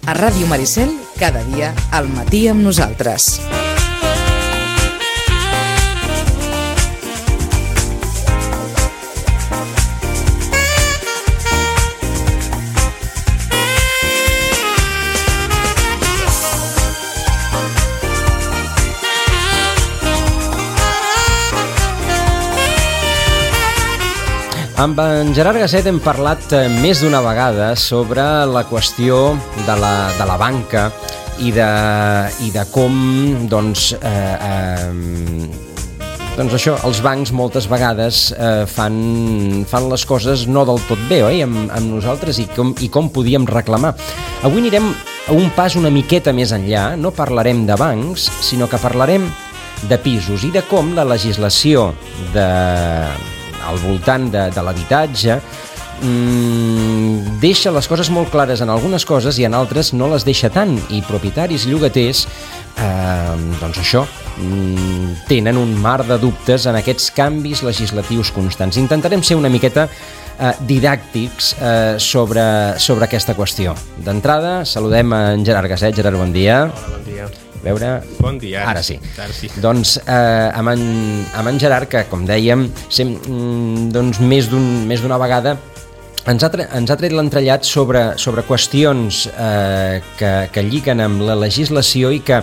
A Ràdio Maricel, cada dia al matí amb nosaltres. Amb en Gerard Gaset hem parlat més d'una vegada sobre la qüestió de la banca i de com això, els bancs moltes vegades fan les coses no del tot bé, oi? Amb nosaltres i com podíem reclamar. Avui anirem a un pas una miqueta més enllà, no parlarem de bancs, sinó que parlarem de pisos i de com la legislació al voltant de l'habitatge deixa les coses molt clares en algunes coses i en altres no les deixa tant, i propietaris i llogaters tenen un mar de dubtes en aquests canvis legislatius constants. Intentarem ser una miqueta didàctics sobre aquesta qüestió. D'entrada, saludem en Gerard Gaset. Gerard, bon dia. Hola, bon dia. Veure... Bon dia. Ara sí. Doncs amb en Gerard, que com dèiem més d'una vegada ens ha tret l'entrellat sobre qüestions que lliguen amb la legislació i que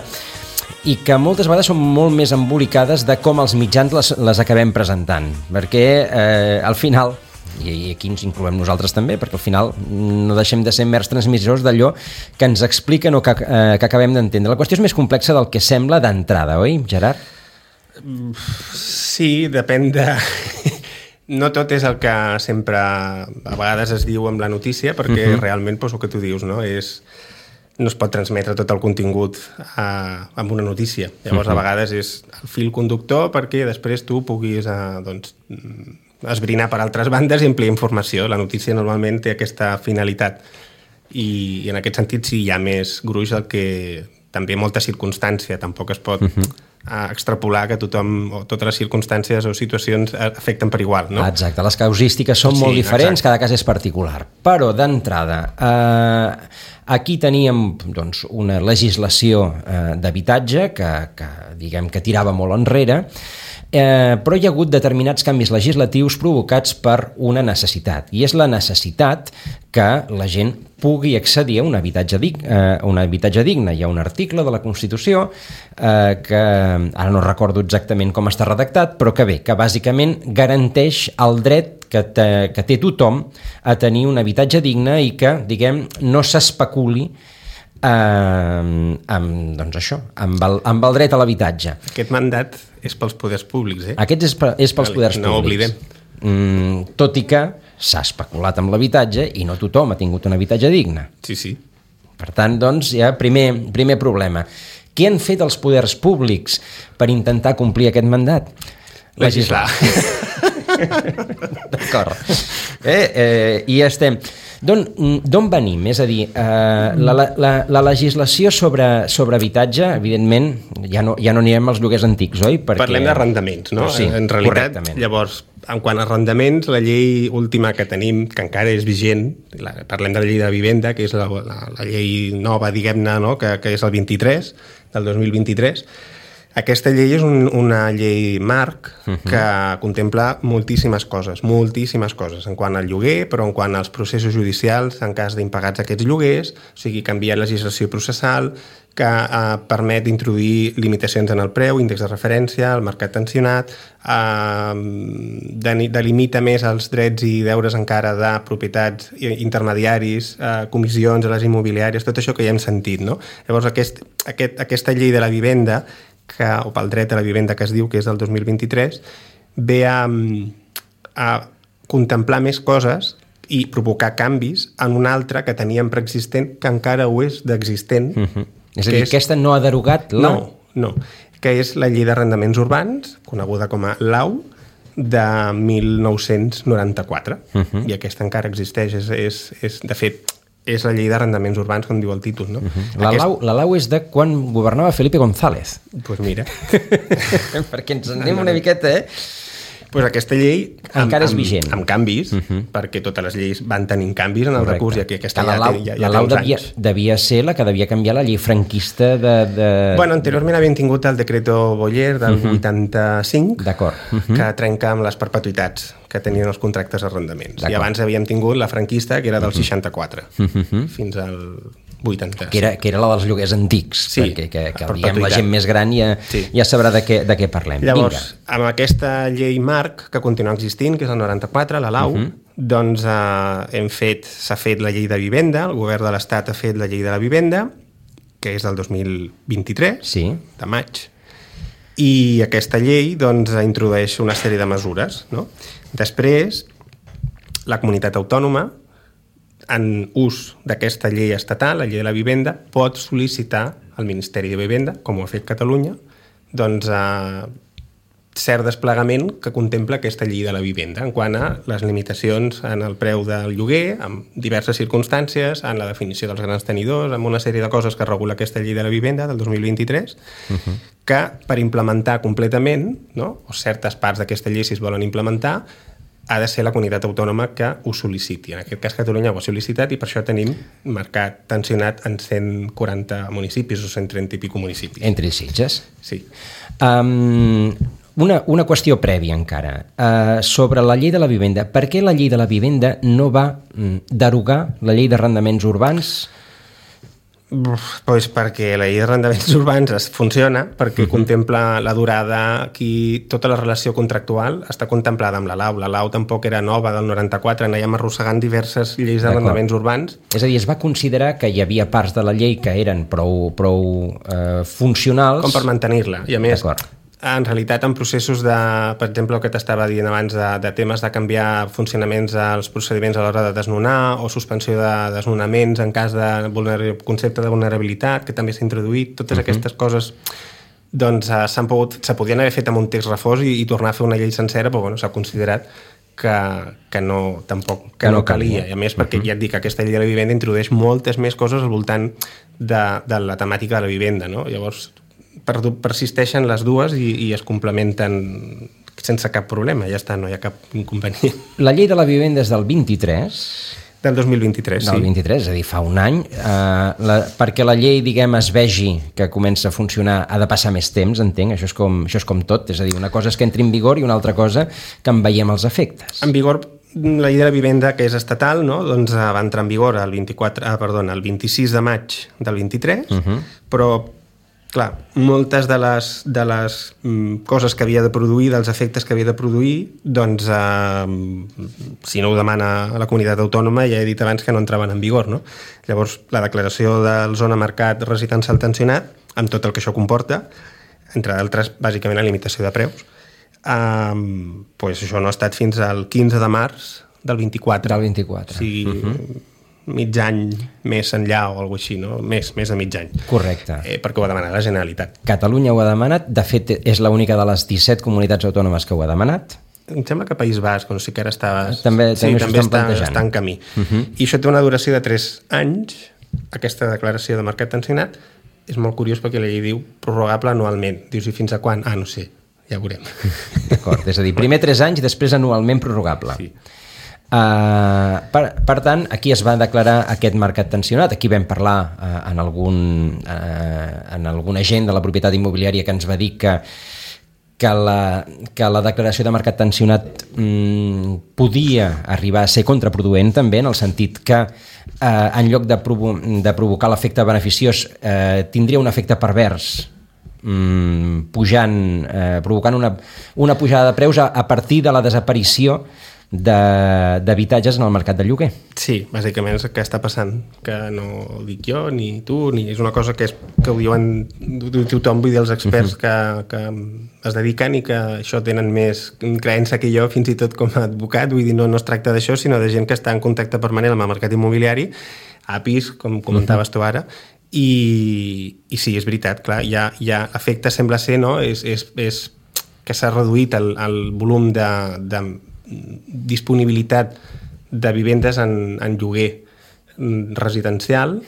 moltes vegades són molt més embolicades de com els mitjans les acabem presentant, perquè al final, i aquí ens incloem nosaltres també, perquè al final no deixem de ser mers transmissors d'allò que ens expliquen o que acabem d'entendre. La qüestió és més complexa del que sembla d'entrada, oi, Gerard? Sí, depèn de... No tot és el que sempre a vegades es diu amb la notícia, perquè realment el que tu dius, no es pot transmetre tot el contingut amb una notícia. Llavors, a vegades és el fil conductor perquè després tu puguis esbrinar per altres bandes i ampliar informació. La notícia normalment té aquesta finalitat i en aquest sentit sí hi ha més gruix del que també molta circumstància. Tampoc es pot extrapolar que tothom o totes les circumstàncies o situacions afecten per igual, no? Exacte, les causístiques són molt diferents, cada cas és particular. Però d'entrada, aquí teníem una legislació d'habitatge que diguem que tirava molt enrere, però hi ha hagut determinats canvis legislatius provocats per una necessitat, i és la necessitat que la gent pugui accedir a un habitatge digne. Hi ha un article de la Constitució que ara no recordo exactament com està redactat, però que bàsicament garanteix el dret que té tothom a tenir un habitatge digne i que, diguem, no s'especuli amb el dret a l'habitatge. Aquest mandat és pels poders públics, Aquest és pels poders públics. No ho oblidem. Tot i que s'ha especulat amb l'habitatge i no tothom ha tingut un habitatge digne. Sí. Per tant, hi ha primer problema. Què han fet els poders públics per intentar complir aquest mandat? Legislar. D'acord. I estem... D'on venim? És a dir, la legislació sobre habitatge, evidentment, ja no anirem als lloguers antics, oi? Parlem d'arrendaments, no? Sí, en realitat, llavors, en quant a arrendaments, la llei última que tenim, que encara és vigent, parlem de la llei de vivenda, que és la llei nova, diguem-ne, no? Que és el 23, del 2023. Aquesta llei és una llei marc que contempla moltíssimes coses, en quant al lloguer, però en quant als processos judicials en cas d'impagats aquests lloguers, o sigui, canviar legislació processal, que permet introduir limitacions en el preu, índex de referència, el mercat tensionat, delimita més els drets i deures encara de propietats intermediaris, comissions a les immobiliàries, tot això que ja hem sentit, no? Llavors, aquesta llei de la vivenda, o pel dret a la vivenda que es diu, que és del 2023, ve a contemplar més coses i provocar canvis en una altra que teníem preexistent, que encara ho és d'existent. És a dir, aquesta no ha derogat la... No, que és la llei d'arrendaments urbans, coneguda com a LAU, de 1994. I aquesta encara existeix. De fet, és la llei d'arrendaments urbans, com diu el títol, no? La LAU és de quan governava Felipe González. Doncs mira. Perquè ens en anem una miqueta, Pues aquesta llei encara és vigent. Amb canvis, perquè totes les lleis van tenint canvis en el recurs i aquesta ja té uns anys. Devia ser la que devia canviar la llei franquista de... Bueno, anteriorment havien tingut el decreto Boyer del 85, que trenca amb les perpetuïtats que tenien els contractes d'arrendaments. I abans havíem tingut la franquista, que era del 64, fins al 80. Que era la dels lloguers antics, perquè la gent més gran ja sabrà de què parlem. Llavors, amb aquesta llei marc que continua existint, que és el 94, la LAU, doncs s'ha fet la llei de vivenda, el govern de l'Estat ha fet la llei de la vivenda, que és del 2023, de maig, i aquesta llei doncs introdueix una sèrie de mesures, no? Després, la comunitat autònoma, en ús d'aquesta llei estatal, la llei de la vivenda, pot sol·licitar al Ministeri de Vivenda, com ho ha fet Catalunya, doncs cert desplegament que contempla aquesta llei de la vivenda en quant a les limitacions en el preu del lloguer, amb diverses circumstàncies, en la definició dels grans tenidors, amb una sèrie de coses que regula aquesta llei de la vivenda del 2023, que per implementar completament, no, o certes parts d'aquesta llei, si es volen implementar, ha de ser la comunitat autònoma que ho sol·liciti. En aquest cas, Catalunya ho ha sol·licitat i per això tenim marcat tensionat en 140 municipis o 130 i pico municipis. Entre Sitges? Sí. Una qüestió prèvia encara. Sobre la llei de la vivenda, per què la llei de la vivenda no va derogar la llei d'arrendaments urbans? Pues perquè la llei d'arrendaments urbans funciona, perquè contempla la durada, aquí tota la relació contractual està contemplada amb la LAU. La LAU tampoc era nova del 94, anàvem arrossegant diverses lleis d'arrendaments urbans. És a dir, es va considerar que hi havia parts de la llei que eren prou funcionals... Com per mantenir-la, i a més... En realitat, en processos de, per exemple, el que t'estava dient abans, de temes de canviar funcionaments als procediments a l'hora de desnonar o suspensió de desnonaments en cas de concepte de vulnerabilitat, que també s'ha introduït, totes aquestes coses doncs se podien haver fet amb un text refós i tornar a fer una llei sencera, però bueno, s'ha considerat que no calia. I a més, perquè ja et dic que aquesta llei de la vivenda introdueix moltes més coses al voltant de la temàtica de la vivenda, no? Llavors, persisteixen les dues i es complementen sense cap problema, ja està, no hi ha cap inconvenient. La llei de la vivenda és del 23? Del 2023, sí. Del 23, és a dir, fa un any. Perquè la llei, diguem, es vegi que comença a funcionar, ha de passar més temps, entenc, això és com tot, és a dir, una cosa és que entri en vigor i una altra cosa que en veiem els efectes. En vigor, la llei de la vivenda, que és estatal, no? Doncs va entrar en vigor el 26 de maig del 23, però clar, moltes de les coses que havia de produir, dels efectes que havia de produir, doncs si no ho demana la comunitat autònoma, ja he dit abans que no entraven en vigor, no? Llavors, la declaració del zona mercat residencial tensionat, amb tot el que això comporta, entre d'altres, bàsicament la limitació de preus, doncs això no ha estat fins al 15 de març del 24. Del 24. O sigui, mig any més enllà o alguna cosa així, no? Més de mig any. Correcte. Perquè ho ha demanat la Generalitat. Catalunya ho ha demanat, de fet és l'única de les 17 comunitats autònomes que ho ha demanat. Em sembla que País Basc, no sé què ara també està en camí. I això té una duració de 3 anys, aquesta declaració de mercat tensionat. És molt curiós perquè la llei diu prorrogable anualment. Dius, i fins a quan? No sé, ja ho veurem. D'acord, és a dir, primer 3 anys, després anualment prorrogable. Sí. Per tant, aquí es va declarar aquest mercat tensionat. Aquí vam parlar en algun agent de la propietat immobiliària que ens va dir que la declaració de mercat tensionat podia arribar a ser contraproduent també, en el sentit que en lloc de provocar l'efecte beneficiós tindria un efecte pervers, provocant una pujada de preus a partir de la desaparició d'habitatges en el mercat de lloguer. Sí, bàsicament és el que està passant, que no ho dic jo, ni tu, ni és una cosa que ho diuen tothom, vull dir, els experts que es dediquen i que això tenen més creença que jo, fins i tot com a advocat, vull dir, no es tracta d'això, sinó de gent que està en contacte permanent amb el mercat immobiliari, APIs, com comentaves tu ara, i sí, és veritat, clar, hi ha efecte, sembla ser, no? És que s'ha reduït el volum de disponibilitat de vivendes en lloguer residencial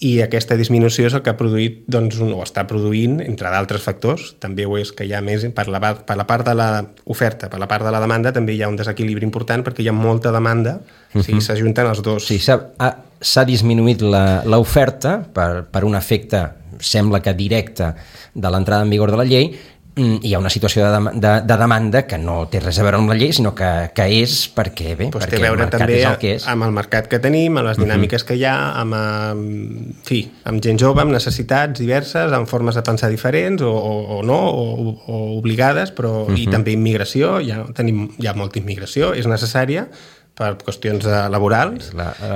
i aquesta disminució és el que ha produït, doncs, o està produint, entre d'altres factors, també ho és que hi ha més, per la part de l'oferta, per la part de la demanda, també hi ha un desequilibri important perquè hi ha molta demanda, o sigui, s'ajunten els dos. Sí, s'ha disminuït l'oferta per un efecte, sembla que directe, de l'entrada en vigor de la llei. Hi ha una situació de demanda que no té res a veure amb la llei, sinó que és perquè, bé, pues perquè té a veure el mercat també és el que és. amb el mercat que tenim, amb les dinàmiques que hi ha, amb gent jove, amb necessitats diverses, amb formes de pensar diferents o no, o obligades, però i també immigració, hi ha molta immigració, és necessària per qüestions laborals,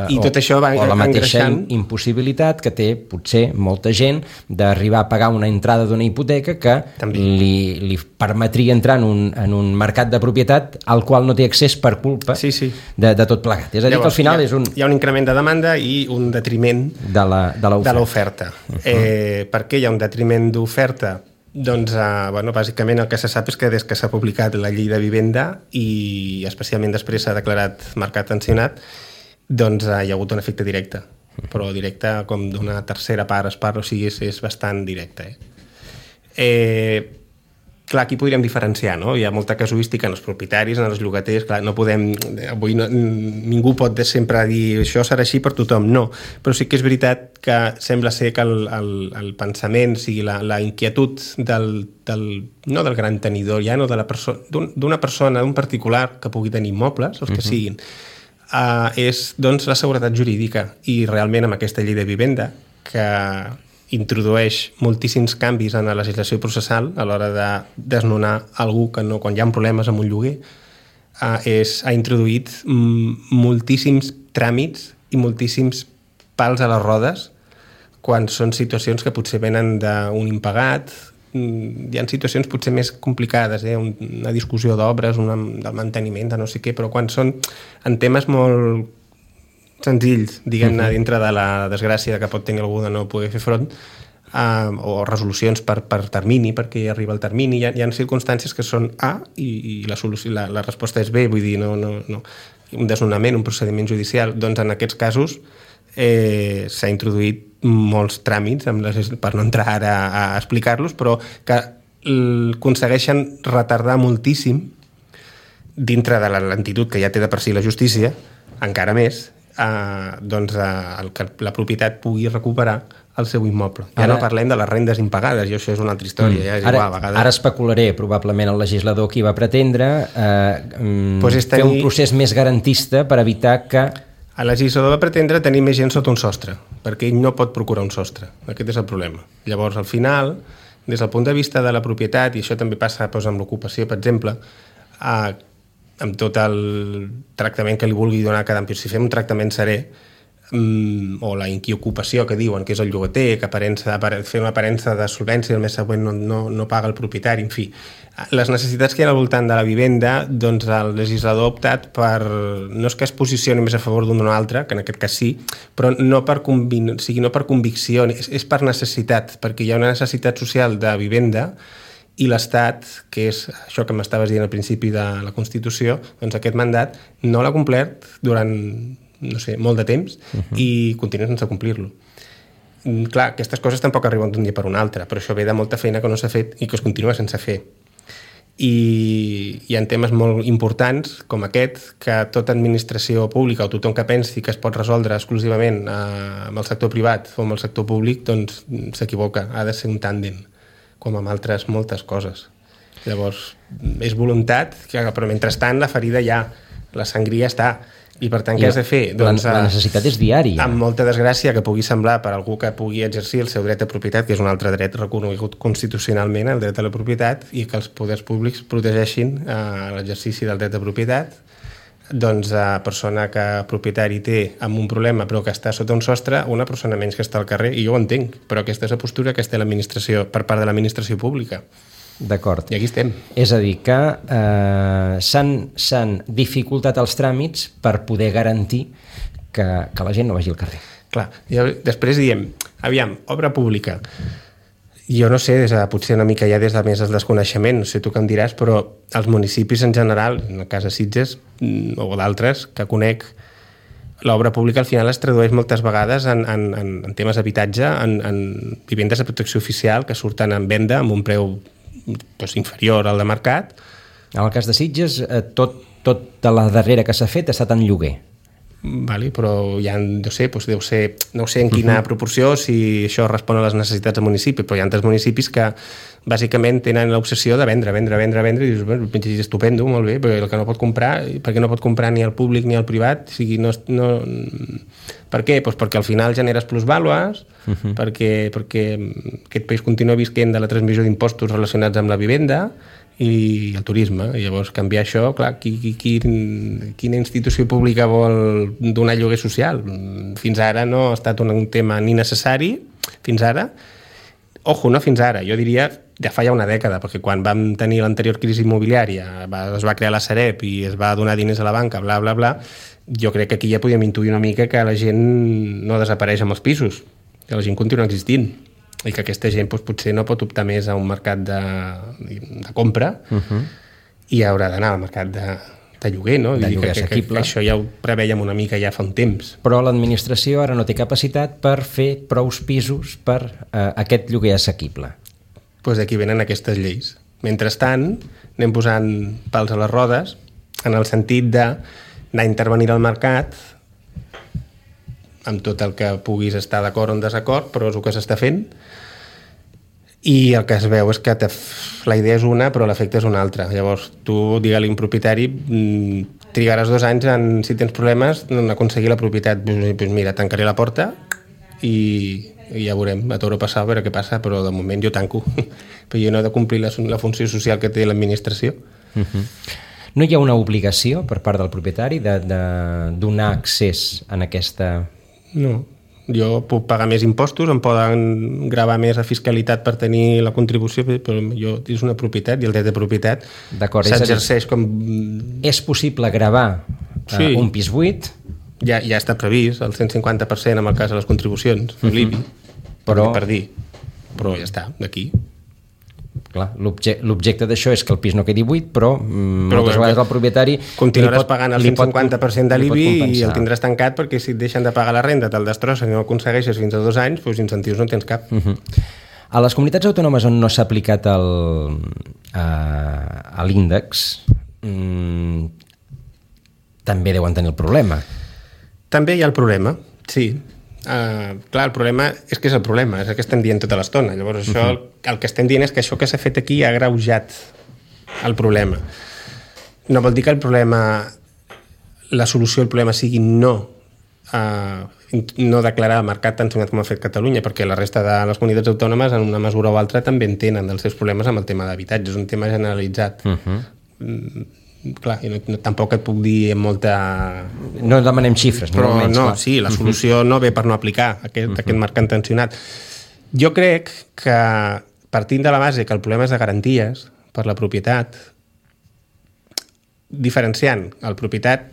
i tot això va engreixant. O la mateixa impossibilitat que té, potser, molta gent d'arribar a pagar una entrada d'una hipoteca que li permetria entrar en un mercat de propietat al qual no té accés per culpa de tot plegat. És a dir, llavors, que al final hi ha un increment de demanda i un detriment de l'oferta. Per què hi ha un detriment d'oferta? Doncs, bàsicament el que se sap és que des que s'ha publicat la llei de vivenda i especialment després s'ha declarat mercat tensionat, doncs hi ha hagut un efecte directe, però directe com d'una tercera part, o sigui, és bastant directe. Clar, aquí podríem diferenciar, no? Hi ha molta casuística en els propietaris, en els llogaters, clar, no podem... Avui ningú pot sempre dir això serà així per tothom, no. Però sí que és veritat que sembla ser que el pensament, o sigui, la inquietud no del gran tenidor, ja no d'una persona, d'un particular que pugui tenir immobles, els que siguin, és doncs la seguretat jurídica. I realment amb aquesta llei de vivenda, que introdueix moltíssims canvis en la legislació processal a l'hora de desnonar algú que no, quan hi ha problemes amb un lloguer, ha introduït moltíssims tràmits i moltíssims pals a les rodes quan són situacions que potser venen d'un impagat. Hi ha situacions potser més complicades, una discussió d'obres, del manteniment, de no sé què, però quan són en temes molt senzills, diguem-ne, dintre de la desgràcia que pot tenir algú de no poder fer front, o resolucions per termini, perquè hi arriba el termini, hi ha circumstàncies que són A i la resposta és B, vull dir, no, un desnonament, un procediment judicial. Doncs en aquests casos s'ha introduït molts tràmits, per no entrar ara a explicar-los, però que aconsegueixen retardar moltíssim dintre de la lentitud que ja té de per si la justícia, encara més, que la propietat pugui recuperar el seu immoble. Ja no parlem de les rendes impagades, i això és una altra història. Ja és igual, a vegades... Ara especularé, probablement el legislador qui va pretendre fer un procés més garantista per evitar que... El legislador va pretendre tenir més gent sota un sostre, perquè ell no pot procurar un sostre. Aquest és el problema. Llavors, al final, des del punt de vista de la propietat, i això també passa amb l'ocupació, per exemple, amb tot el tractament que li vulgui donar cada si fem un tractament serè, o la inquiocupació que diuen que és el llogater, que fer una aparença de solvència el mes següent no paga el propietari, en fi. Les necessitats que hi ha al voltant de la vivenda, doncs el legislador ha optat per... No és que es posicioni més a favor d'un o un altre, que en aquest cas sí, però no per convicció, és per necessitat, perquè hi ha una necessitat social de vivenda i l'Estat, que és això que m'estaves dient al principi de la Constitució, doncs aquest mandat no l'ha complert durant, no sé, molt de temps i continua sense complir-lo. Clar, aquestes coses tampoc arriben d'un dia per un altre, però això ve de molta feina que no s'ha fet i que es continua sense fer. I hi ha temes molt importants com aquest, que tota administració pública o tothom que pensi que es pot resoldre exclusivament amb el sector privat o amb el sector públic, doncs s'equivoca, ha de ser un tàndem, com amb altres moltes coses. Llavors, és voluntat, però mentrestant la ferida ja, la sangria està, i per tant què has de fer? Doncs, la necessitat és diària. Amb molta desgràcia que pugui semblar per algú que pugui exercir el seu dret de propietat, que és un altre dret reconegut constitucionalment, el dret a la propietat, i que els poders públics protegeixin l'exercici del dret de propietat, doncs a persona que propietari té amb un problema però que està sota un sostre, una persona menys que està al carrer, i jo ho entenc, però aquesta és la postura que té l'administració per part de l'administració pública. D'acord. I aquí estem. És a dir, que s'han dificultat els tràmits per poder garantir que la gent no vagi al carrer. Clar, i després diem, aviam, obra pública. Jo no sé, potser una mica ja des de més el desconeixement, no sé tu què em diràs, però els municipis en general, en el cas de Sitges o d'altres que conec, l'obra pública al final es tradueix moltes vegades en temes d'habitatge, en vivendes de protecció oficial que surten en venda amb un preu inferior al de mercat. En el cas de Sitges, tota la darrera que s'ha fet ha estat en lloguer. Vale, però ja no sé en quina proporció, si això respon a les necessitats del municipi, però hi ha altres municipis que bàsicament tenen l'obsessió de vendre i dius, bueno, estupendo, molt bé, però el que no pot comprar, perquè no pot comprar ni el públic ni el privat, o sigui, per què? Doncs perquè al final generes plusvàlues, perquè aquest país continua visquent de la transmissió d'impostos relacionats amb la vivenda i el turisme, i llavors canviar això, clar, quina institució pública vol donar lloguer social? Fins ara no ha estat un tema ni necessari, fins ara, no fins ara, jo diria ja fa ja una dècada, perquè quan vam tenir l'anterior crisi immobiliària, es va crear la Sareb i es va donar diners a la banca, bla, bla, bla, jo crec que aquí ja podíem intuir una mica que la gent no desapareix amb els pisos, que la gent continua existint, i que aquesta gent potser no pot optar més a un mercat de compra i haurà d'anar al mercat de lloguer, no? De lloguer assequible. Que això ja ho prevèiem una mica ja fa un temps. Però l'administració ara no té capacitat per fer prous pisos per aquest lloguer assequible. Doncs d'aquí venen aquestes lleis. Mentrestant, anem posant pals a les rodes en el sentit d'anar a intervenir al mercat amb tot el que puguis estar d'acord o en desacord, però és el que s'està fent, i el que es veu és que la idea és una però l'efecte és una altra. Llavors tu, digue-li un propietari, trigaràs 2 anys si tens problemes en aconseguir la propietat. Doncs mira, tancaré la porta i ja veurem, a t'haurà passat, a veure què passa, però de moment jo tanco, però jo no he de complir la funció social que té l'administració. No hi ha una obligació per part del propietari de donar accés en aquesta... No, jo puc pagar més impostos, em poden gravar més a fiscalitat per tenir la contribució, però jo és una propietat i el dret de propietat s'exerceix com... És possible gravar un pis buit? Ja està previst, el 150% en el cas de les contribucions, l'IBI, per dir, però ja està, d'aquí. Clar, l'objecte d'això és que el pis no quedi buit, però moltes vegades el propietari... Continuaràs pagant el 150% de l'IBI i el tindràs tancat perquè si et deixen de pagar la renda, te'l destrossen i no aconsegueixes fins a 2 anys, doncs incentius no tens cap. A les comunitats autònomes on no s'ha aplicat l'índex també deuen tenir el problema. També hi ha el problema, sí. Clar, el problema és que és el problema, és el que estem dient tota l'estona. Llavors això, el que estem dient és que això que s'ha fet aquí ha agreujat el problema. No vol dir que el problema, la solució al problema sigui no declarar el mercat tan sonat com ha fet Catalunya, perquè la resta de les comunitats autònomes en una mesura o altra també en tenen els seus problemes amb el tema d'habitatge, és un tema generalitzat. Clar, tampoc et puc dir amb molta... No demanem xifres, però no, clar. Sí, la solució no ve per no aplicar aquest mercat tensionat. Jo crec que partint de la base que el problema és de garanties per la propietat, diferenciant el propietat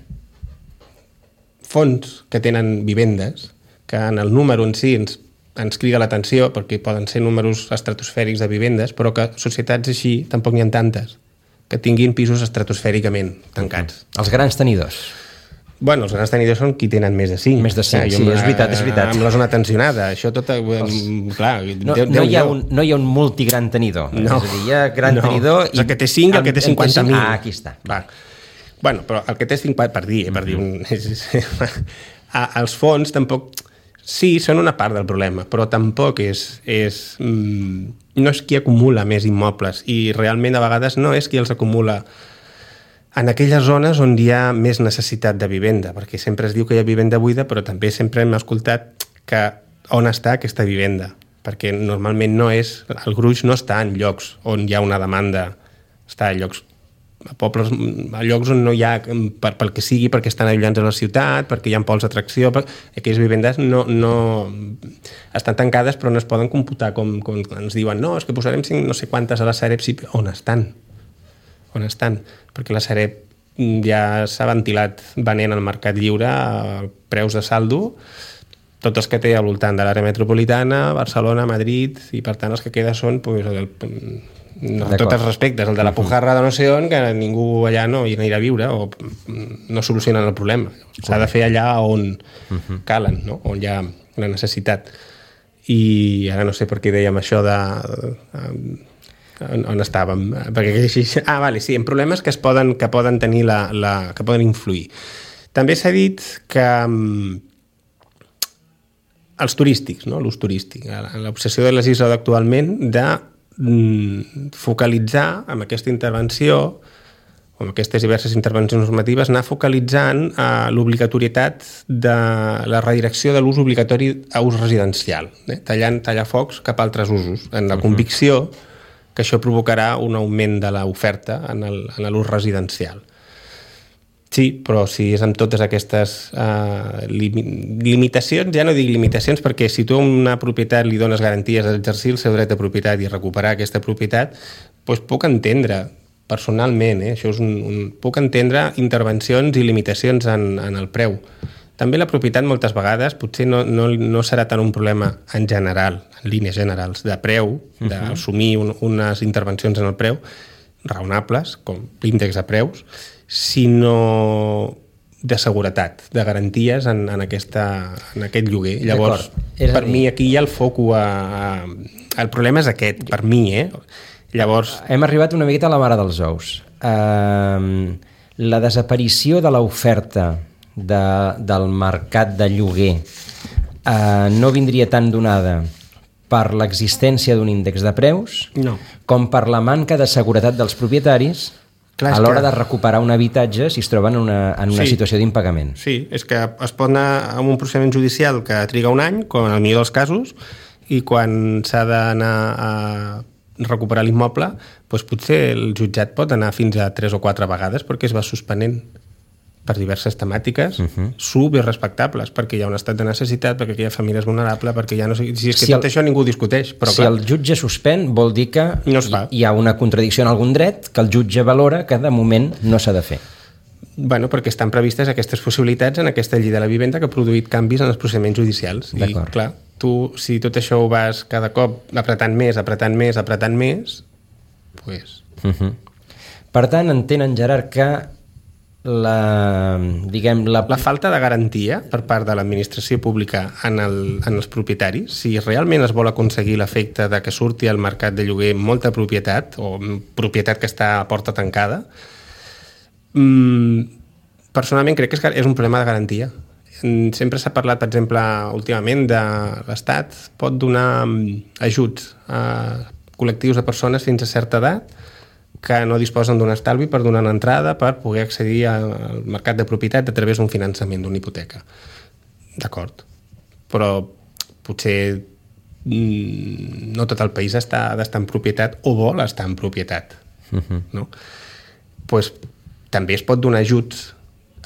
fons que tenen vivendes, que en el número en si ens crida l'atenció perquè poden ser números estratosfèrics de vivendes, però que societats així tampoc n'hi ha tantes que tinguin pisos estratosfèricament tancats. Els grans tenidors. Bueno, els grans tenidors són qui tenen més de 5. Més de 5, sí, és veritat. Amb la zona tensionada, això tot... Clar, no hi ha un multigran tenidor. No. És a dir, hi ha gran tenidor... El que té 5 i el que té 50.000. Aquí està. Va. Bueno, però el que té 50... Per dir els fons tampoc... Sí, són una part del problema, però tampoc no és qui acumula més immobles i realment a vegades no és qui els acumula en aquelles zones on hi ha més necessitat de vivenda, perquè sempre es diu que hi ha vivenda buida, però també sempre hem escoltat que on està aquesta vivenda, perquè normalment no és, el gruix no està en llocs on hi ha una demanda, està a llocs a pobles, a llocs on no hi ha pel que sigui, perquè estan allunyats a la ciutat, perquè hi ha pols d'atracció, aquelles vivendes no estan tancades però no es poden computar com ens diuen, no, és que posarem no sé quantes a la Sareb, sí, on estan? Perquè la Sareb ja s'ha ventilat venent al mercat lliure a preus de saldo tots els que té al voltant de l'àrea metropolitana, Barcelona, Madrid, i per tant els que queda són no, tots els respectes, el de la Pujarra de no sé on, que ningú allà no hi anirà a viure o no solucionen el problema. S'ha de fer allà on calen, no? On hi ha la necessitat. I ara no sé per què dèiem això de... on estàvem? Perquè així... vale, sí, en problemes que poden tenir que poden influir. També s'ha dit que els turístics, no? L'ús turístic, l'obsessió del legislador actualment de focalitzar amb aquesta intervenció o amb aquestes diverses intervencions normatives, anar focalitzant l'obligatorietat de la redirecció de l'ús obligatori a ús residencial, tallar focs cap a altres usos, en la convicció que això provocarà un augment de l'oferta en l'ús residencial. Sí, però si és amb totes aquestes limitacions, ja no dic limitacions, perquè si tu a una propietat li dones garanties d'exercir el seu dret de propietat i recuperar aquesta propietat, doncs puc entendre, personalment, això és puc entendre intervencions i limitacions en el preu. També la propietat moltes vegades potser no serà tant un problema en general, en línies generals, de preu, d'assumir unes intervencions en el preu raonables, com l'índex de preus, sinó de seguretat, de garanties en aquest lloguer. Llavors, per mi aquí hi ha el foco el problema és aquest, per mi, Llavors... Hem arribat una miqueta a la mare dels ous. La desaparició de l'oferta del mercat de lloguer no vindria tan donada per l'existència d'un índex de preus com per la manca de seguretat dels propietaris a l'hora de recuperar un habitatge si es troben en una situació d'impagament. Sí, és que es pot anar amb un procediment judicial que triga un any, com en el millor dels casos, i quan s'ha d'anar a recuperar l'immoble, doncs potser el jutjat pot anar fins a 3 o 4 vegades perquè es va suspenent per diverses temàtiques superrespectables, perquè hi ha un estat de necessitat, perquè hi ha famílies vulnerables, perquè ja no sé... Si és que tot això ningú discuteix, però si el jutge suspèn, vol dir que hi ha una contradicció en algun dret que el jutge valora que de moment no s'ha de fer. Bueno, perquè estan previstes aquestes possibilitats en aquesta llei de la vivenda que ha produït canvis en els procediments judicials. I, clar, tu, si tot això ho vas cada cop apretant més, doncs... Per tant, entenen, Gerard, que la falta de garantia per part de l'administració pública en els propietaris, si realment es vol aconseguir l'efecte de que surti al mercat de lloguer molta propietat o propietat que està a porta tancada, personalment crec que és un problema de garantia. Sempre s'ha parlat, per exemple, últimament de l'Estat pot donar ajuts a col·lectius de persones fins a certa edat que no disposen d'un estalvi per donar una entrada per poder accedir al mercat de propietat a través d'un finançament d'una hipoteca. D'acord. Però potser no tot el país ha d'estar en propietat o vol estar en propietat. No? Pues, també es pot donar ajuts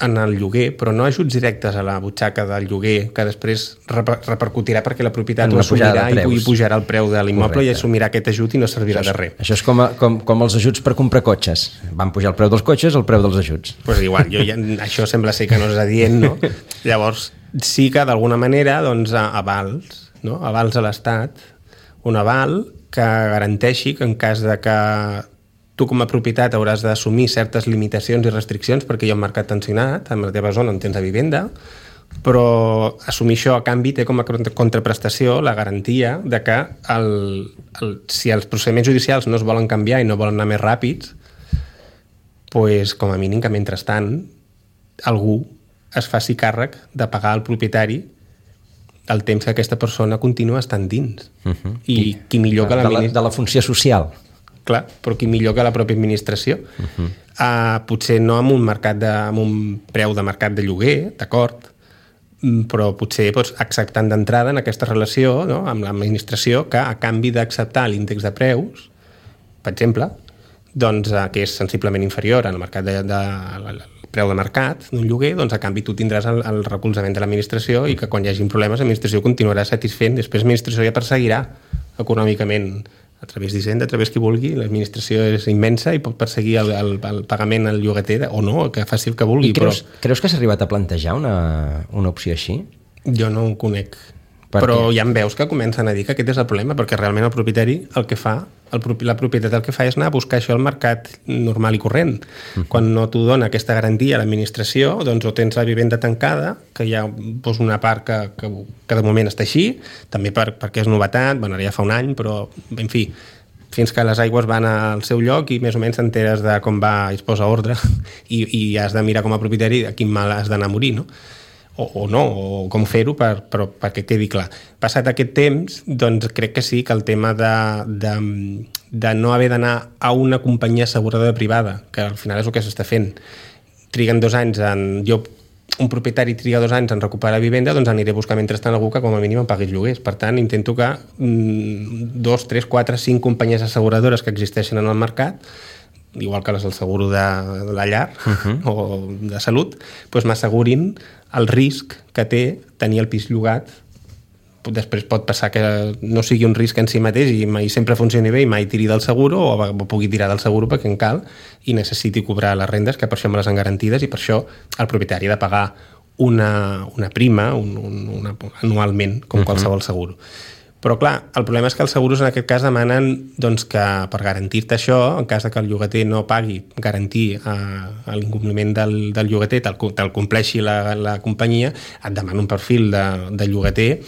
en el lloguer, però no ajuts directes a la butxaca del lloguer, que després repercutirà perquè la propietat ho assumirà i pujarà el preu de l'immoble i assumirà aquest ajut i no servirà de res. Això és com els ajuts per comprar cotxes. Van pujar el preu dels cotxes, el preu dels ajuts. Pues igual, això sembla ser que no és adient, no? Llavors, sí que d'alguna manera, doncs, avals, no? Avals a l'Estat, un aval que garanteixi que en cas de que tu com a propietat hauràs d'assumir certes limitacions i restriccions perquè hi ha un mercat tensionat en la teva zona on tens la vivenda, però assumir això a canvi té com a contraprestació la garantia de que si els procediments judicials no es volen canviar i no volen anar més ràpids, doncs com a mínim que mentrestant algú es faci càrrec de pagar al propietari el temps que aquesta persona continua estant dins. I qui millor que de la funció social. Clar, però qui millor que la pròpia administració. Potser no amb un preu de mercat de lloguer, d'acord, però potser acceptant d'entrada en aquesta relació, no, amb l'administració, que a canvi d'acceptar l'índex de preus, per exemple, doncs, que és sensiblement inferior al mercat el preu de mercat d'un lloguer, doncs a canvi tu tindràs el recolzament de l'administració i que quan hi hagi problemes l'administració continuarà satisfent, després l'administració ja perseguirà econòmicament a través d'Hisenda, a través qui vulgui, l'administració és immensa i pot perseguir el pagament al llogater o no, que faci el que vulgui. I creus que s'ha arribat a plantejar una opció així? Jo no ho conec. Però ja em veus que comencen a dir que aquest és el problema, perquè realment el propietari el que fa, la propietat el que fa és anar a buscar això al mercat normal i corrent. Quan no t'ho dona aquesta garantia a l'administració, doncs o tens la vivenda tancada, que hi ha una part que de moment està així, també perquè és novetat, bueno, ara ja fa un any, però en fi, fins que les aigües van al seu lloc i més o menys t'enteres de com va i es posa ordre i has de mirar com a propietari a quin mal has d'anar a morir, no? O no, o com fer-ho perquè quedi clar. Passat aquest temps, doncs crec que sí, que el tema de no haver d'anar a una companyia asseguradora privada, que al final és el que s'està fent, triguen 2 anys un propietari triga 2 anys en recuperar la vivenda, doncs aniré a buscar mentrestant algú que com a mínim em pagui els lloguers. Per tant, intento que 2, 3, 4, 5 companyies asseguradores que existeixen en el mercat, igual que les del seguro de la llar o de salut, doncs m'assegurin el risc que té tenir el pis llogat. Després pot passar que no sigui un risc en si mateix i mai sempre funcioni bé i mai tiri del seguro o pugui tirar del seguro perquè en cal i necessiti cobrar les rendes, que per això me les han garantides i per això el propietari ha de pagar una prima anualment, com qualsevol seguro. Però clar, el problema és que els seguros en aquest cas demanen doncs, que per garantir-te això, en cas que el llogater no pagui, garantir l'incompliment del llogater, te'l compleixi la companyia, et demana un perfil de llogater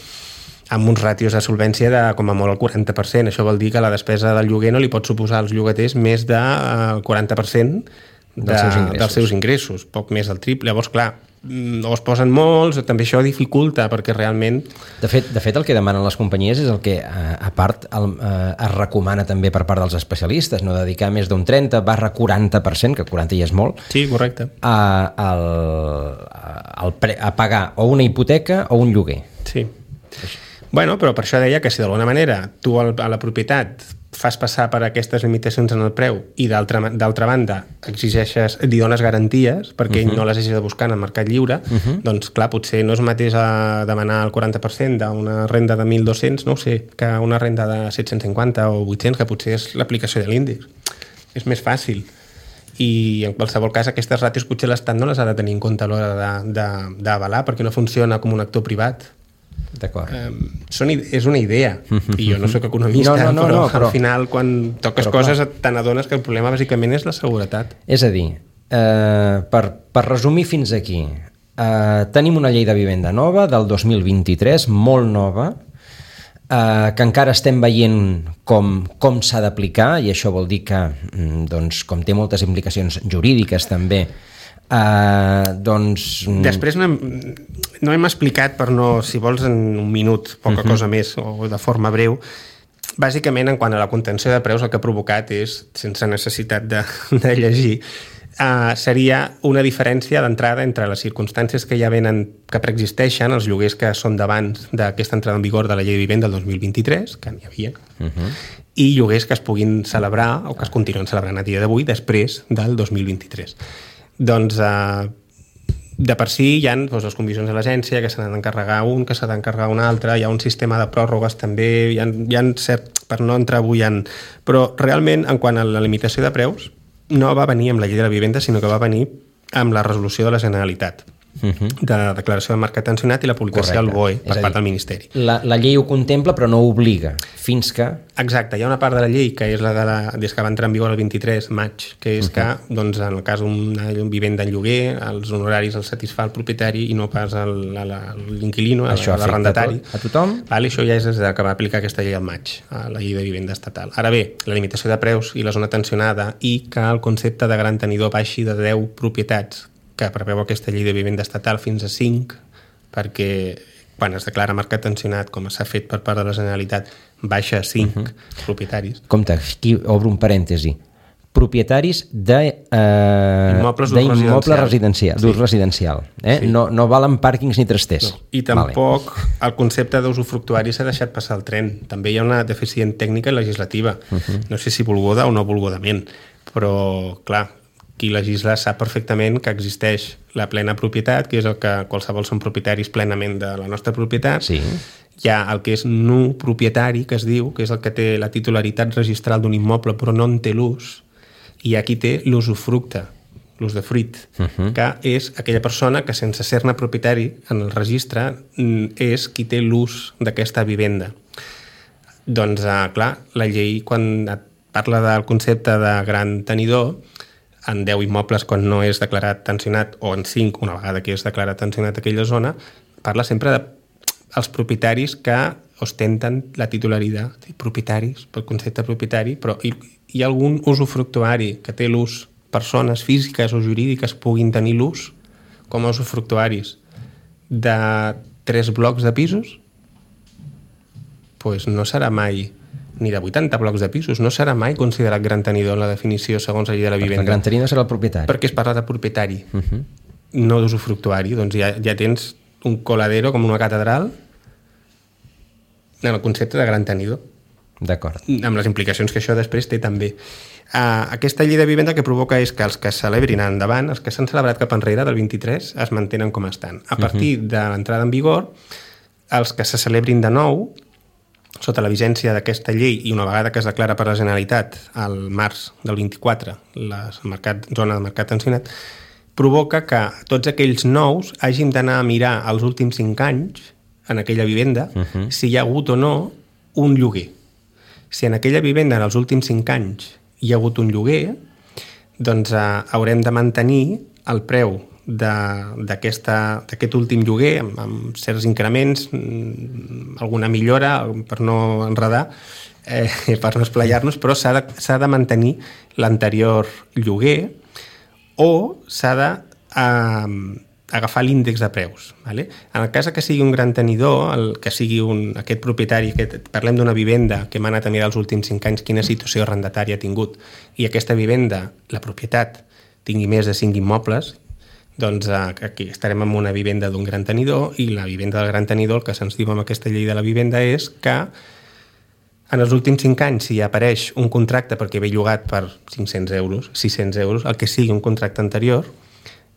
amb uns ràtios de solvència de com a molt el 40%. Això vol dir que la despesa del lloguer no li pot suposar als llogaters més del 40% dels seus ingressos, poc més del triple. Llavors, clar, o es posen molts, o també això dificulta, perquè realment... De fet, el que demanen les companyies és el que, a part, es recomana també per part dels especialistes, no dedicar més d'un 30/40%, que 40 ja és molt, sí, correcte, a pagar o una hipoteca o un lloguer. Sí. Bueno, però per això deia que si d'alguna manera tu a la propietat fas passar per aquestes limitacions en el preu i d'altra banda exigeixes, li dones garanties perquè ell no les hagi de buscar en el mercat lliure, doncs clar, potser no és mateix a demanar el 40% d'una renda de 1.200, no ho sé, que una renda de 750 o 800, que potser és l'aplicació de l'índex. És més fàcil. I en qualsevol cas aquestes ràtios potser l'Estat no les ha de tenir en compte a l'hora d'avalar perquè no funciona com un actor privat. D'acord. És una idea i jo no sóc economista, però al final quan toques coses te n'adones que el problema bàsicament és la seguretat. És a dir, per resumir fins aquí, tenim una llei de vivenda nova del 2023, molt nova, que encara estem veient com s'ha d'aplicar, i això vol dir que, doncs, com té moltes implicacions jurídiques també, després no hem explicat, per no, si vols en un minut, poca cosa més o de forma breu, bàsicament en quant a la contenció de preus el que ha provocat és, sense necessitat de llegir, seria una diferència d'entrada entre les circumstàncies que ja venen, que preexisteixen, els lloguers que són d'abans d'aquesta entrada en vigor de la llei de vivenda del 2023, que n'hi havia, i lloguers que es puguin celebrar o que es continuen celebrant a dia d'avui després del 2023. Doncs de per si hi ha les condicions de l'agència, que s'ha d'encarregar un, que s'ha d'encarregar un altre, hi ha un sistema de pròrrogues també, hi ha cert, per no entrar avui però realment en quant a la limitació de preus no va venir amb la llei de la vivenda, sinó que va venir amb la resolució de la Generalitat de declaració de marcat tensionat i la publicació al BOE per part del Ministeri. La llei ho contempla però no obliga fins que... Exacte, hi ha una part de la llei que és la des que va entrar en vigor el 23 maig, que és que doncs, en el cas d'una vivenda en lloguer els honoraris els satisfà el propietari i no pas l'inquilino, l'arrendatari. A tothom? Això ja és des que va aplicar aquesta llei al maig, a la llei de vivenda estatal. Ara bé, la limitació de preus i la zona tensionada i que el concepte de gran tenidor baixi de 10 propietats que preveu aquesta llei de vivenda estatal fins a 5, perquè quan es declara marcat tensionat, com s'ha fet per part de la Generalitat, baixa a 5 propietaris. Compte, aquí obro un parèntesi. Propietaris d'immobles d'ús residencial. No valen pàrquings ni trasters. No. I tampoc el concepte d'usufructuari s'ha deixat passar el tren. També hi ha una deficient tècnica i legislativa. No sé si volguda o no volgudament, però clar, qui legisla sap perfectament que existeix la plena propietat, que és el que qualsevol són propietaris plenament de la nostra propietat. Sí. Hi ha el que és nu propietari, que es diu, que és el que té la titularitat registral d'un immoble però no en té l'ús, i aquí té l'usufructe, l'usdefruit, que és aquella persona que sense ser-ne propietari en el registre és qui té l'ús d'aquesta vivenda. Doncs, clar, la llei, quan parla del concepte de gran tenidor, en 10 immobles quan no és declarat tensionat, o en 5, una vegada que és declarat tensionat aquella zona, parla sempre dels propietaris que ostenten la titularitat, propietaris, pel concepte propietari, però hi ha algun usufructuari que té l'ús, persones físiques o jurídiques puguin tenir l'ús com a usufructuaris de 3 blocs de pisos, doncs no serà mai, ni de 80 blocs de pisos, no serà mai considerat gran tenidor en la definició segons la llei de la vivenda. El gran tenidor serà el propietari. Perquè es parla de propietari, no d'usufructuari. Doncs ja tens un coladero com una catedral en el concepte de gran tenidor. D'acord. Amb les implicacions que això després té també. Aquesta llei de vivenda que provoca és que els que es celebrin endavant, els que s'han celebrat cap enrere del 23, es mantenen com estan. A partir de l'entrada en vigor, els que se celebrin de nou, sota la vigència d'aquesta llei i una vegada que es declara per la Generalitat al març del 24 la zona de mercat tensionat, provoca que tots aquells nous hàgim d'anar a mirar els últims 5 anys en aquella vivenda si hi ha hagut o no un lloguer. Si en aquella vivenda en els últims 5 anys hi ha hagut un lloguer, doncs haurem de mantenir el preu d'aquest últim lloguer amb certs increments, alguna millora per no enredar, per no esplaiar-nos, però s'ha de mantenir l'anterior lloguer o s'ha d'agafar l'índex de preus. Vale? En el cas que sigui un gran tenidor, que sigui aquest propietari, parlem d'una vivenda que hem anat a mirar els últims 5 anys quina situació arrendatària ha tingut, i aquesta vivenda, la propietat, tingui més de 5 immobles, doncs aquí estarem en una vivenda d'un gran tenidor, i la vivenda del gran tenidor, el que se'ns diu amb aquesta llei de la vivenda és que en els últims 5 anys, si apareix un contracte perquè ve llogat per 500 euros, 600 euros, el que sigui un contracte anterior,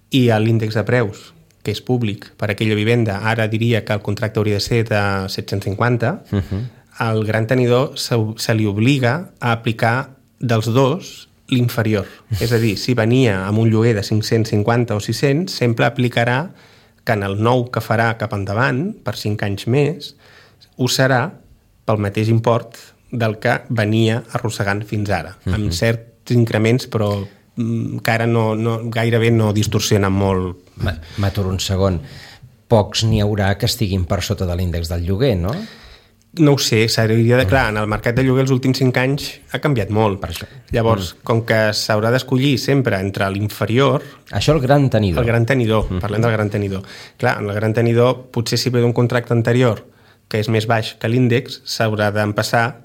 i l'índex de preus, que és públic per aquella vivenda, ara diria que el contracte hauria de ser de 750, al gran tenidor se li obliga a aplicar dels dos l'inferior. És a dir, si venia amb un lloguer de 550 o 600, sempre aplicarà que en el nou que farà cap endavant, per 5 anys més, ho serà pel mateix import del que venia arrossegant fins ara, amb certs increments, però que ara gairebé no distorsionen molt. M'aturo un segon. Pocs n'hi haurà que estiguin per sota de l'índex del lloguer, no? No ho sé, s'hauria de... Clar, en el mercat de lloguer els últims 5 anys ha canviat molt. Per això. Llavors, com que s'haurà d'escollir sempre entre l'inferior... Això el gran tenidor. El gran tenidor, parlem del gran tenidor. Clar, en el gran tenidor, potser si ve d'un contracte anterior que és més baix que l'índex, s'haurà d'empassar,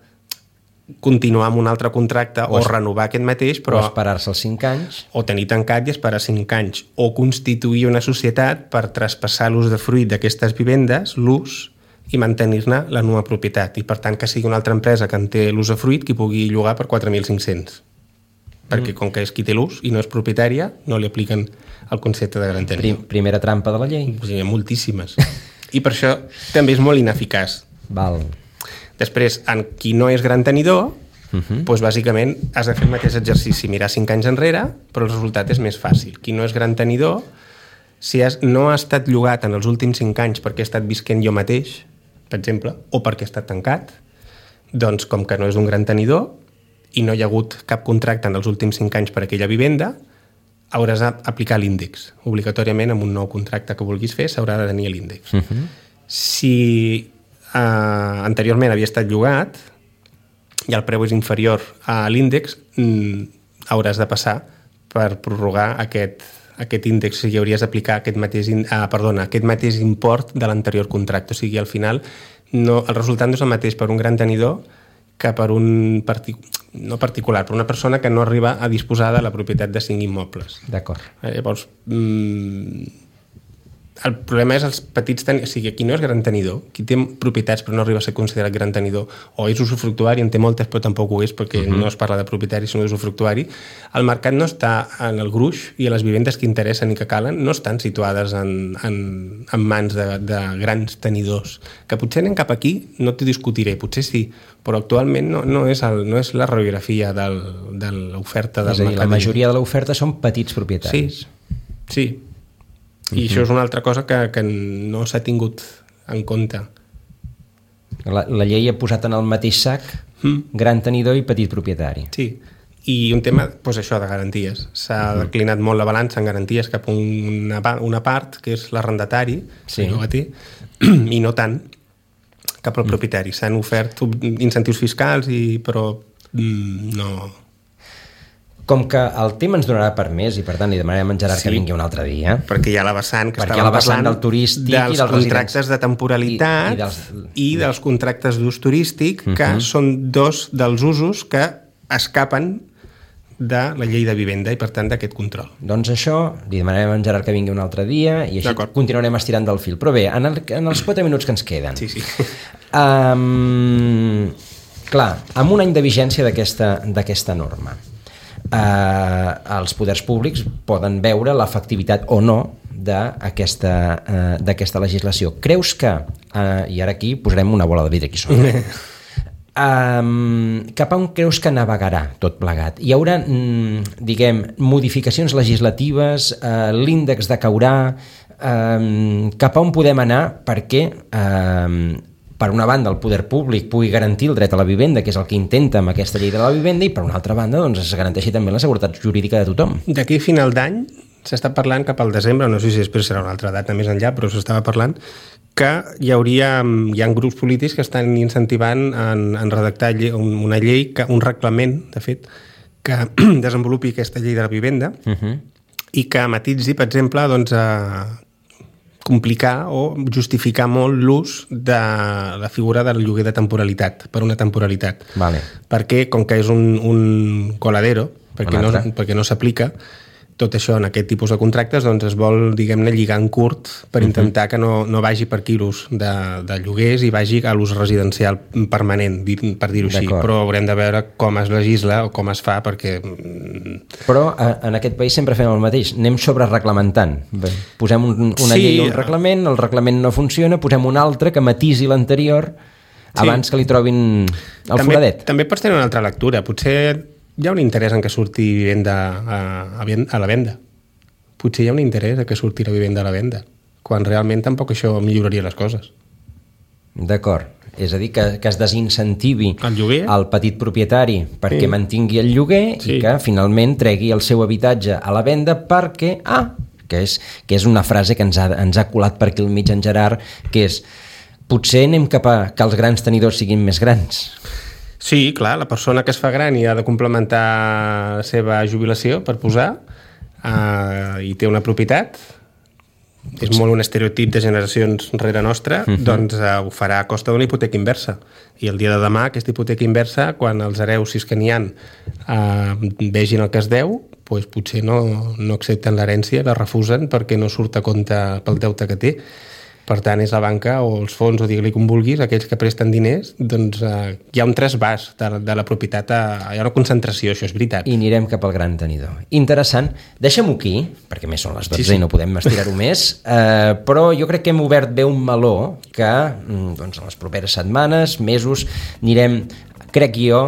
continuar amb un altre contracte o renovar aquest mateix, però... O esperar-se els 5 anys. O tenir tancat i esperar 5 anys. O constituir una societat per traspassar l'usdefruit d'aquestes vivendes, l'ús, i mantenir-ne la nova propietat. I per tant que sigui una altra empresa que en té l'usdefruit qui pugui llogar per 4.500. Perquè com que és qui té l'ús i no és propietària, no li apliquen el concepte de gran tenidor. Primera trampa de la llei. Hi ha moltíssimes. I per això també és molt ineficaç. Val. Després, en qui no és gran tenidor, doncs bàsicament has de fer el mateix exercici, mirar 5 anys enrere, però el resultat és més fàcil. Qui no és gran tenidor, si no ha estat llogat en els últims 5 anys perquè he estat visquent jo mateix, per exemple, o perquè ha estat tancat, doncs com que no és un gran tenidor i no hi ha hagut cap contracte en els últims 5 anys per aquella vivenda, hauràs d'aplicar l'índex. Obligatòriament, amb un nou contracte que vulguis fer, s'haurà de tenir l'índex. Si anteriorment havia estat llogat i el preu és inferior a l'índex, hauràs de passar per prorrogar aquest índex, o sigui, hauries d'aplicar aquest mateix import de l'anterior contracte. O sigui, al final el resultat no és el mateix per un gran tenidor que per un no particular, per una persona que no arriba a disposar de la propietat de 5 immobles. D'acord. Llavors, el problema és els petits tenidors, o sigui, aquí no és gran tenidor, qui té propietats però no arriba a ser considerat gran tenidor, o és usufructuari, en té moltes però tampoc ho és, perquè no es parla de propietari sinó d'usufructuari. El mercat no està en el gruix i les vivendes que interessen i que calen no estan situades en mans de grans tenidors, que potser anem cap aquí, no t'ho discutiré, potser sí, però actualment no és la radiografia de l'oferta del mercat. És a dir, la majoria de l'oferta són petits propietaris. Sí. I això és una altra cosa que no s'ha tingut en compte. La llei ha posat en el mateix sac gran tenidor i petit propietari. Sí, i un tema, doncs això, de garanties. S'ha declinat molt la balança en garanties cap a una part, que és l'arrendatari, que no la té, i no tant cap al propietari. S'han ofert incentius fiscals, però no... Com que el tema ens donarà per més i per tant li demanarem a en Gerard que vingui un altre dia. Perquè hi ha la vessant que estàvem parlant del turístic dels contractes de temporalitat i dels contractes d'ús turístic, que són dos dels usos que escapen de la llei de vivenda i per tant d'aquest control. Doncs això, li demanarem a en Gerard que vingui un altre dia i així continuarem estirant del fil. Però bé, en els 4 minuts que ens queden, clar, amb un any de vigència d'aquesta norma, els poders públics poden veure l'efectivitat o no d'aquesta legislació. Creus que, i ara aquí posarem una bola de vidre aquí sobre, cap a on creus que navegarà tot plegat? Hi haurà, diguem, modificacions legislatives, l'índex decaurà, cap a on podem anar perquè per una banda el poder públic pugui garantir el dret a la vivenda, que és el que intenta amb aquesta llei de la vivenda, i per una altra banda doncs, es garanteixi també la seguretat jurídica de tothom. D'aquí a final d'any s'està parlant cap al desembre, no sé si després serà una altra data més enllà, però s'estava parlant que hi ha grups polítics que estan incentivant en redactar una llei, un reglament, de fet, que desenvolupi aquesta llei de la vivenda i que matitzi, per exemple, doncs, complicar o justificar molt l'ús de la figura del lloguer de temporalitat, per una temporalitat. Perquè, com que és un coladero, perquè no s'aplica, tot això en aquest tipus de contractes doncs es vol, diguem-ne, lligar en curt per intentar que no vagi per aquí l'ús de lloguers i vagi a l'ús residencial permanent, per dir-ho així. Però haurem de veure com es legisla o com es fa, perquè... Però en aquest país sempre fem el mateix, anem sobre-reglamentant. Posem una llei o un reglament, el reglament no funciona, posem un altre que matisi l'anterior abans que li trobin el foradet. També pots tenir una altra lectura, potser... Hi ha un interès en que surti vivenda a la venda. Potser hi ha un interès en que surti la vivenda a la venda, quan realment tampoc això milloraria les coses. D'acord. És a dir, que es desincentivi el petit propietari perquè mantingui el lloguer i que finalment tregui el seu habitatge a la venda perquè... que és una frase que ens ha colat per aquí al mig en Gerard, que és potser anem cap a que els grans tenidors siguin més grans. Sí, clar, la persona que es fa gran i ha de complementar la seva jubilació per posar i té una propietat, és molt un estereotip de generacions rere nostra, doncs ho farà a costa d'una hipoteca inversa. I el dia de demà aquesta hipoteca inversa, quan els hereus, si és que n'hi ha, vegin el que es deu, doncs potser no accepten l'herència, la refusen perquè no surt a compte pel deute que té. Per tant, és la banca o els fons, o digue-li com vulguis, aquells que presten diners, doncs hi ha un trasbàs de la propietat, hi ha una concentració, això és veritat. I anirem cap al gran tenidor. Interessant. Deixem-ho aquí, perquè més són les 12 i no podem estirar-ho més, però jo crec que hem obert bé un meló que doncs, en les properes setmanes, mesos, anirem, crec jo,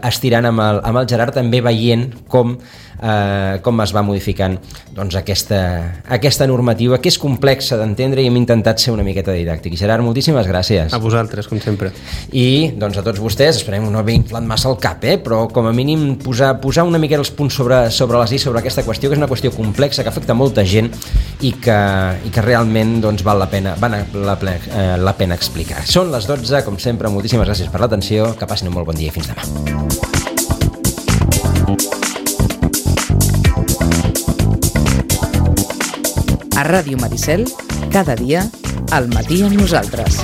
estirant amb el Gerard, també veient com es va modificant doncs, aquesta normativa, que és complexa d'entendre i hem intentat ser una miqueta didàctic. Gerard, moltíssimes gràcies. A vosaltres, com sempre. I doncs, a tots vostès, esperem no haver inflat massa el cap, però com a mínim posar una miqueta els punts sobre les i sobre aquesta qüestió, que és una qüestió complexa, que afecta molta gent i que realment doncs, val la pena explicar. Són les 12, com sempre, moltíssimes gràcies per l'atenció, que passin un molt bon dia i fins demà. A Ràdio Maricel, cada dia, al matí amb nosaltres.